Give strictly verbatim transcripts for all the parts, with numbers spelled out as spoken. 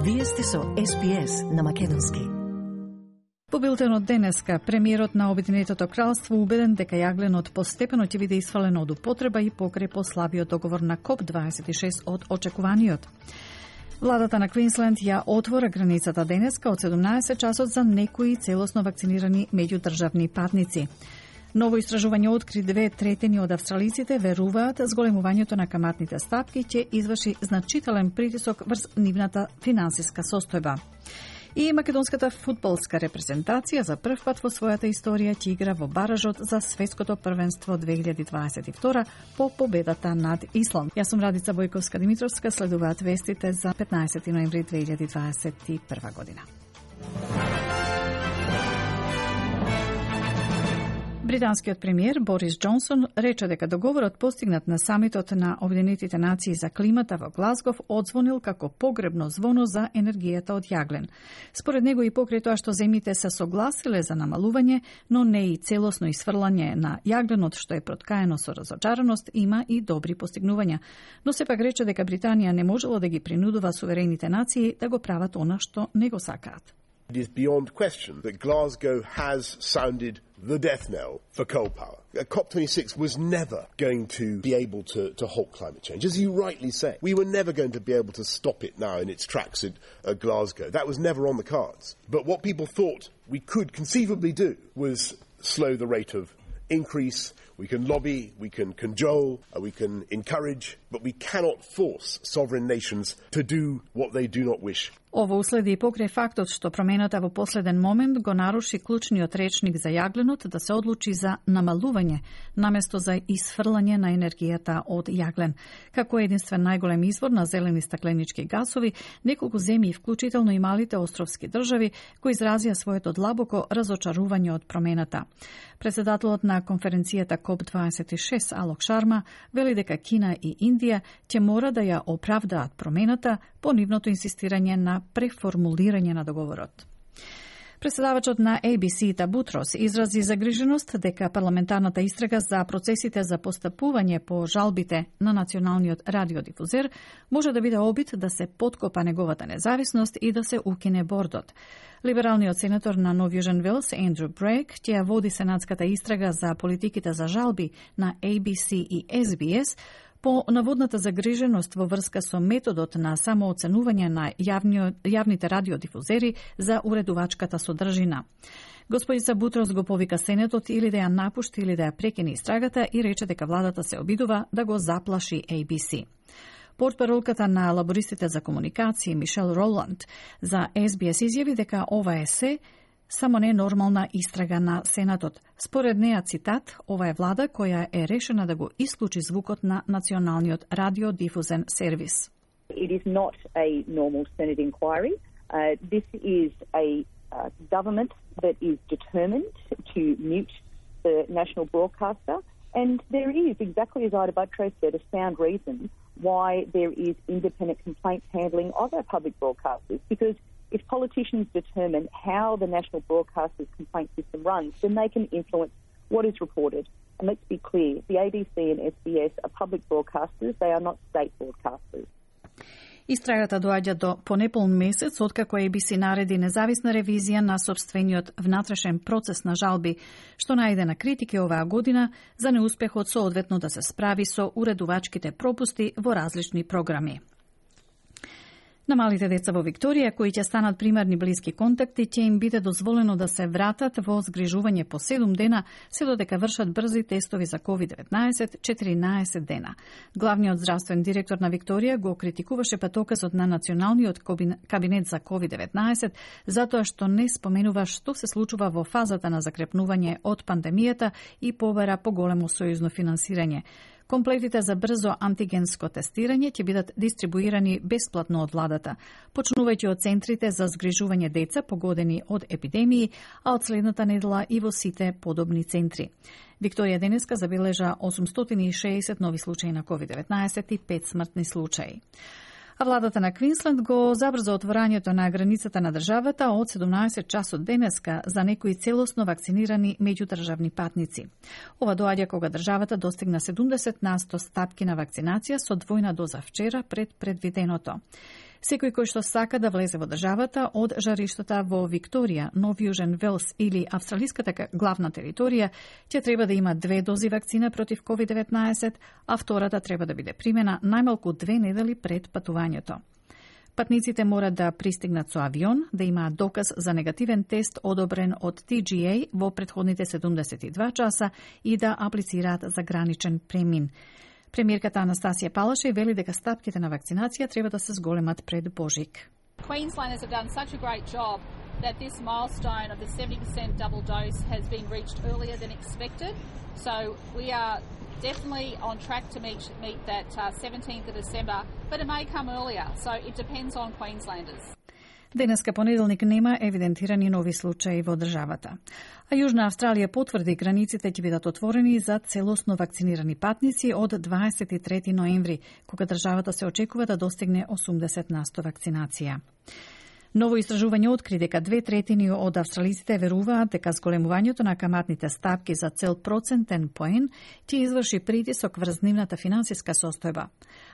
Вие сте со Ес Би Ес на македонски. По билтенот денеска, премиерот на Обединетото кралство убеден дека јагленот постепено ќе биде исфалено од употреба и покрај послабиот договор на Коп дваесет и шест од очекуваниот. Владата на Квинсленд ја отвора границата денеска од седумнаесет часот за некои целосно вакцинирани меѓудржавни патници. Ново истражување откри две третини од австралиците веруваат зголемувањето на каматните стапки ќе изврши значителен притисок врз нивната финансиска состојба. И македонската фудбалска репрезентација за прв пат во својата историја ќе игра во баражот за светското првенство две илјади дваесет и втора по победата над Исланд. Јас сум Радица Бојковска-Димитровска, следуваат вестите за петнаесети ноември две илјади дваесет и прва година. Британскиот премиер Борис Џонсон рече дека договорот постигнат на самитот на Обединетите нации за климата во Глазгов одзвонил како погребно звоно за енергијата од јаглен. Според него и покрај тоа што земјите се согласиле за намалување, но не и целосно исфрлање на јагленот што е проткаено со разочараност, има и добри постигнувања. Но сепак рече дека Британија не можела да ги принудува суверените нации да го прават она што не го сакаат. It is beyond question that Glasgow has sounded the death knell for coal power. COP twenty-six was never going to be able to, to halt climate change. As you rightly say, we were never going to be able to stop it now in its tracks at, at Glasgow. That was never on the cards. But what people thought we could conceivably do was slow the rate of increase. We can lobby, we can cajole, uh, we can encourage, but we cannot force sovereign nations to do what they do not wish. Ово уследи и покрај фактот што промената во последен момент го наруши клучниот речник за јагленот да се одлучи за намалување, наместо за исфрлање на енергијата од јаглен. Како единствен најголем извор на зелени стакленички гасови, неколку земји, вклучително и малите островски држави, кои изразија своето длабоко разочарување од промената. Председателот на конференцијата Коп дваесет и шест Алок Шарма вели дека Кина и Индија ќе мора да ја оправдаат промената по нивното инсистирање на преформулирање на договорот. Председавачот на Ей Би Си Та Бутрос изрази загриженост дека парламентарната истрага за процесите за постапување по жалбите на националниот радиодифузер може да биде обид да се поткопа неговата независност и да се укине бордот. Либералниот сенатор на Нов Јужен Велс, Ендрю Брейк, ќе ја води сенатската истрага за политиките за жалби на Ей Би Си и Ес Би Ес по наводната загриженост во врска со методот на самооценување на јавни, јавните радиодифузери за уредувачката содржина. Господица Бутрос го повика Сенатот или да ја напушти или да ја прекине истрагата и рече дека владата се обидува да го заплаши Ей Би Си. Портпаролката на лабористите за комуникација Мишел Роланд за Ес Би Ес изјави дека ова е се само не нормална истрага на Сенатот. Според неа, цитат, ова е влада која е решена да го исклучи звукот на националниот радиодифузен сервис. It is not a normal Senate inquiry. Uh, this is a uh, government that is determined to mute the national broadcaster, and there is, exactly as Ida Buttrose said, a sound reason why there is independent complaints handling of our public broadcasters, because if politicians determine how the national broadcaster's complaint system runs, then they can influence what is reported. And let's be clear, the A B C and Ес Би Ес are public broadcasters, they are not state broadcasters. Истрагата доаѓа до понеполн месец откако Ей Би Си нареди независна ревизија на сопствениот внатрешен процес на жалби, што најде на критики оваа година за неуспехот соодветно да се справи со уредувачките пропусти во различни програми. На малите деца во Викторија, кои ќе станат примарни блиски контакти, ќе им биде дозволено да се вратат во згрижување по седум дена, се додека вршат брзи тестови за ковид деветнаесет четиринаесет дена. Главниот здравствен директор на Викторија го критикуваше патоказот на Националниот кабинет за ковид деветнаесет затоа што не споменува што се случува во фазата на закрепнување од пандемијата и побара поголемо сојузно финансирање. Комплетите за брзо антигенско тестирање ќе бидат дистрибуирани бесплатно од владата, почнувајќи од центрите за згрижување деца погодени од епидемии, а од следната недела и во сите подобни центри. Викторија денеска забележа осумстотини и шеесет нови случаи на ковид деветнаесет и пет смртни случаи. А владата на Квинсленд го забрза отворањето на границата на државата од седумнаесет часот денеска за некои целосно вакцинирани меѓудржавни патници. Ова доаѓа кога државата достигна седумдесет на сто стапки на вакцинација со двојна доза вчера пред предвиденото. Секој кој што сака да влезе во државата од жариштата во Викторија, Нов Јужен Велс или австралиската главна територија, ќе треба да има две дози вакцина против ковид деветнаесет, а втората треба да биде примена најмалку две недели пред патувањето. Патниците мора да пристигнат со авион, да имаат доказ за негативен тест одобрен од Ти Джи Еј во претходните седумдесет и два часа и да аплицираат за граничен премин. Премиерката Анастасија Палаши вели дека стапките на вакцинација треба да се зголемат пред Божик. Queenslanders have done such a great job that this milestone of the seventy percent double dose has been reached earlier than expected. So we are definitely on track to meet meet that uh, seventeenth of December, but it may come earlier, so it depends on Queenslanders. Денеска понеделник нема евидентирани нови случаи во државата. А Јужна Австралија потврди границите ќе бидат отворени за целосно вакцинирани патници од дваесет и трети ноември, кога државата се очекува да достигне осумдесет на сто вакцинација. Ново истражување откри дека две третини од австралиците веруваат дека зголемувањето на каматните стапки за цел процентен поен ќе изврши притисок врз нивната финансиска состојба.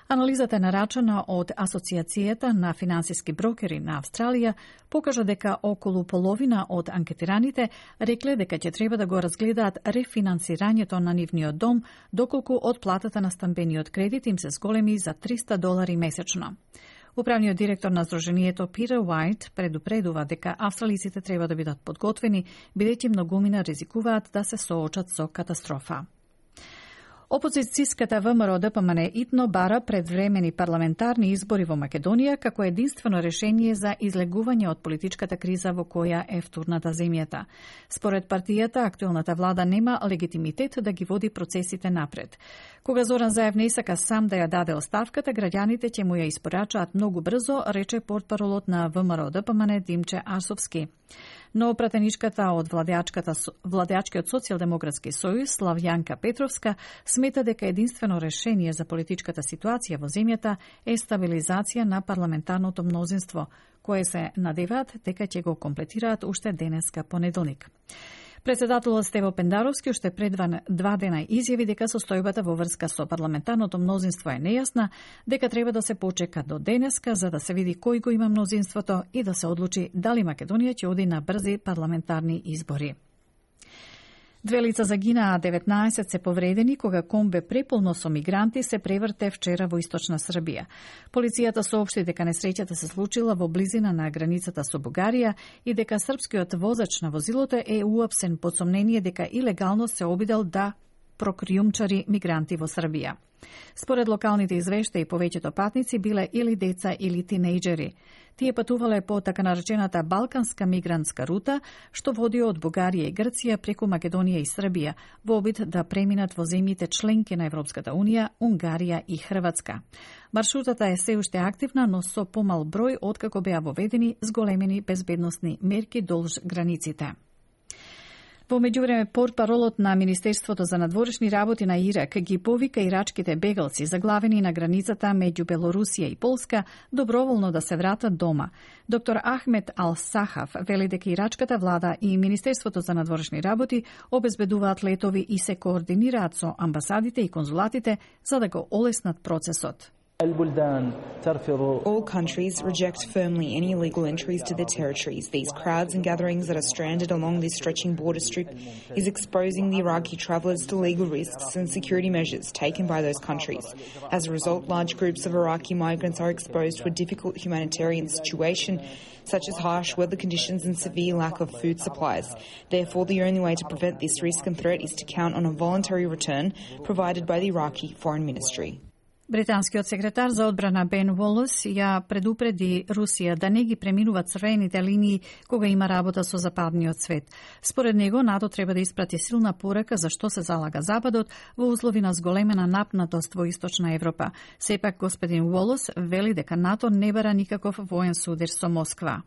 Анализата нарачана од Асоциацијата на финансиски брокери на Австралија покажа дека околу половина од анкетираните рекле дека ќе треба да го разгледаат рефинансирањето на нивниот дом, доколку од платата на стамбениот кредит им се зголеми за триста долари месечно. Управниот директор на Сдруженијето Питер Уајт предупредува дека австралиците треба да бидат подготвени, бидејќи многумина ризикуваат да се соочат со катастрофа. Опозицијската ВМРО Д П М Н итно бара предвремени парламентарни избори во Македонија како единствено решение за излегување од политичката криза во која е втурната земјата. Според партијата, актуелната влада нема легитимитет да ги води процесите напред. Кога Зоран Заев не сака сам да ја даде оставката, граѓаните ќе му ја испорачаат многу брзо, рече портпаролот на ВМРО Д П М Н Димче Арсовски. Но пратеничката од владеачкиот социјалдемократски сојуз Славјанка Петровска смета дека единствено решение за политичката ситуација во земјата е стабилизација на парламентарното мнозинство, кое се надеваат дека ќе го комплетираат уште денеска понеделник. Председателот Стево Пендаровски уште пред два дена изјави дека состојбата во врска со парламентарното мнозинство е нејасна, дека треба да се почека до денеска за да се види кој го има мнозинството и да се одлучи дали Македонија ќе оди на брзи парламентарни избори. Две лица загинаа, деветнаесет се повредени кога комбе преполно со мигранти се преврте вчера во источна Србија. Полицијата соопшти дека несреќата се случила во близина на границата со Бугарија и дека српскиот возач на возилото е уапсен под сомнение дека илегално се обидел да прокриумчари мигранти во Србија. Според локалните извештаи, повеќето патници биле или деца или тинејџери. Тие патувале по така наречената Балканска мигрантска рута, што води од Бугарија и Грција преку Македонија и Србија, во обид да преминат во земјите членки на Европската Унија, Унгарија и Хрватска. Маршрутата е се уште активна, но со помал број откако беа воведени зголемени безбедносни мерки долж границите. Во меѓувреме, портпаролот на Министерството за надворешни работи на Ирак ги повика ирачките бегалци заглавени на границата меѓу Белорусија и Полска доброволно да се вратат дома. Доктор Ахмед Ал-Сахав вели дека ирачката влада и Министерството за надворешни работи обезбедуваат летови и се координираат со амбасадите и конзулатите за да го олеснат процесот. All countries reject firmly any illegal entries to their territories. These crowds and gatherings that are stranded along this stretching border strip is exposing the Iraqi travellers to legal risks and security measures taken by those countries. As a result, large groups of Iraqi migrants are exposed to a difficult humanitarian situation, such as harsh weather conditions and severe lack of food supplies. Therefore, the only way to prevent this risk and threat is to count on a voluntary return provided by the Iraqi Foreign Ministry. Британскиот секретар за одбрана Бен Уолес ја предупреди Русија да не ги преминува црвените линии кога има работа со западниот свет. Според него, НАТО треба да испрати силна порака за што се залага Западот во услови на зголемена напнатост во Источна Европа. Сепак, господин Уолес вели дека НАТО не бара никаков воен судир со Москва.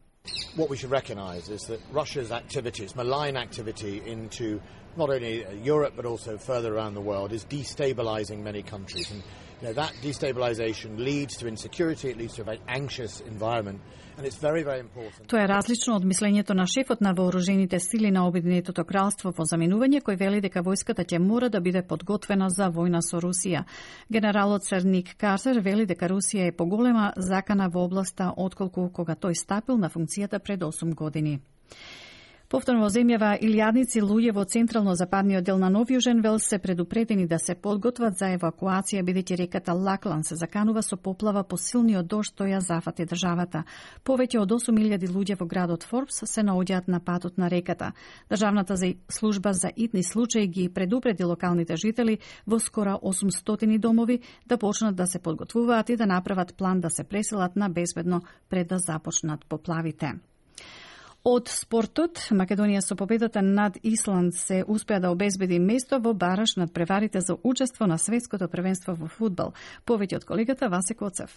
What we should recognise is that Russia's activities, malign activity into not only Europe but also further around the world, is destabilising many countries. And You know, that destabilization leads to insecurity, it leads to a very anxious environment, and it's very, very important. Тоа е различно од мислењето на шефот на вооружените сили на Обединетото кралство во заминување, кој вели дека војската ќе мора да биде подготвена за војна со Русија. Генералот Сер Ник Картер вели дека Русија е поголема закана во областа отколку кога тој стапил на функцијата пред осум години. Повторно во земјава илјадници луѓе во централно-западниот дел на Нов Јужен Велс се предупредени да се подготват за евакуација, бидејќи реката Лаклан се заканува со поплава по силниот дожд тој ја зафати државата. Повеќе од осум илјади луѓе во градот Форбс се наоѓаат на патот на реката. Државната служба за итни случаи ги предупреди локалните жители во скора осумстотини домови да почнат да се подготвуваат и да направат план да се преселат на безбедно пред да започнат поплавите. Од спортот, Македонија со победата над Исланд се успеа да обезбеди место во бараш над преварите за учество на светското првенство во фудбал. Повеќе од колегата Васе Коцев.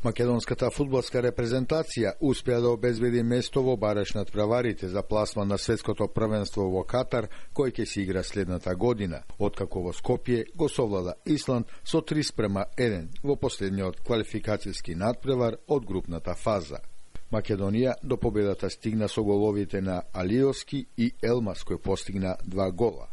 Македонската фудбалска репрезентација успеа да обезбеди место во бараш над преварите за пласман на светското првенство во Катар, кој ќе се игра следната година, откако во Скопје го совлада Исланд со три спрема еден во последниот квалификацијски надпревар од групната фаза. Македонија до победата стигна со головите на Алиовски и Елмас, кој постигна два гола.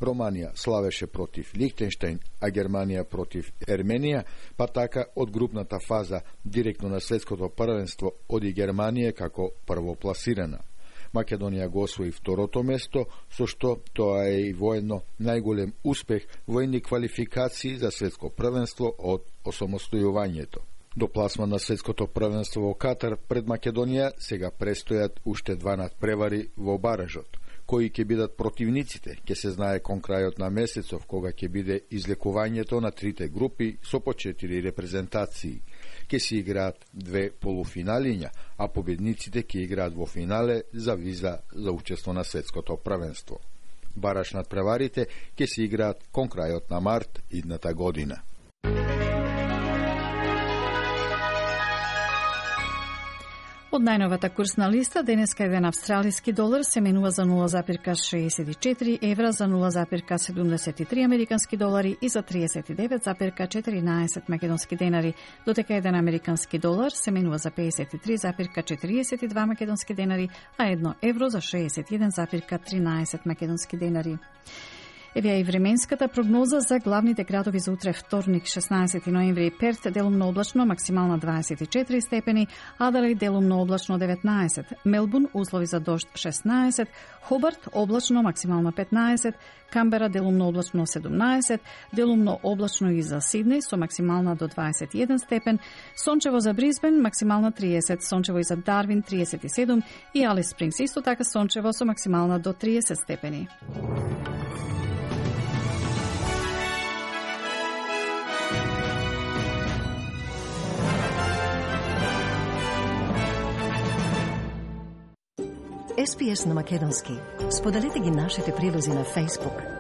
Романија славеше против Лихтенштеин, а Германија против Ерменија, па така од групната фаза директно на светското првенство оди Германија како првопласирана. Македонија го освои второто место, со што тоа е и воедно најголем успех во едни квалификации за светско првенство од осамостојувањето. До пласман на светското првенство во Катар пред Македонија сега престојат уште два надпревари во баражот. Кои ќе бидат противниците, ќе се знае кон крајот на месецов, кога ќе биде излекувањето на трите групи со по четири репрезентации. Ќе се играат две полуфиналиња, а победниците ќе играат во финале за виза за учество на светското првенство. Бараш надпреварите ќе се играат кон крајот на март идната година. Од најновата курсна листа, денеска еден австралиски долар се менува за нула запирка шеесет и четири евра, за нула запирка седумдесет и три американски долари и за триесет и девет запирка четиринаесет македонски денари, додека еден американски долар се менува за пеесет и три запирка четириесет и два македонски денари, а едно евро за шеесет и еден запирка тринаесет македонски денари. Еве и временската прогноза за главните градови за утре вторник, шеснаесети ноември. Перт делумно облачно, максимална дваесет и четири степени, Аделаид делумно облачно деветнаесет, Мелбурн услови за дожд шеснаесет, Хобарт облачно, максимална петнаесет, Камбера делумно облачно седумнаесет, делумно облачно и за Сиднеј со максимална до дваесет и еден степен, сончево за Брисбен, максимална триесет, сончево и за Дарвин триесет и седум и Алис Спрингс исто така сончево со максимална до триесет степени. Ес Пи Ес на македонски. Споделете ги нашите прилози на Facebook.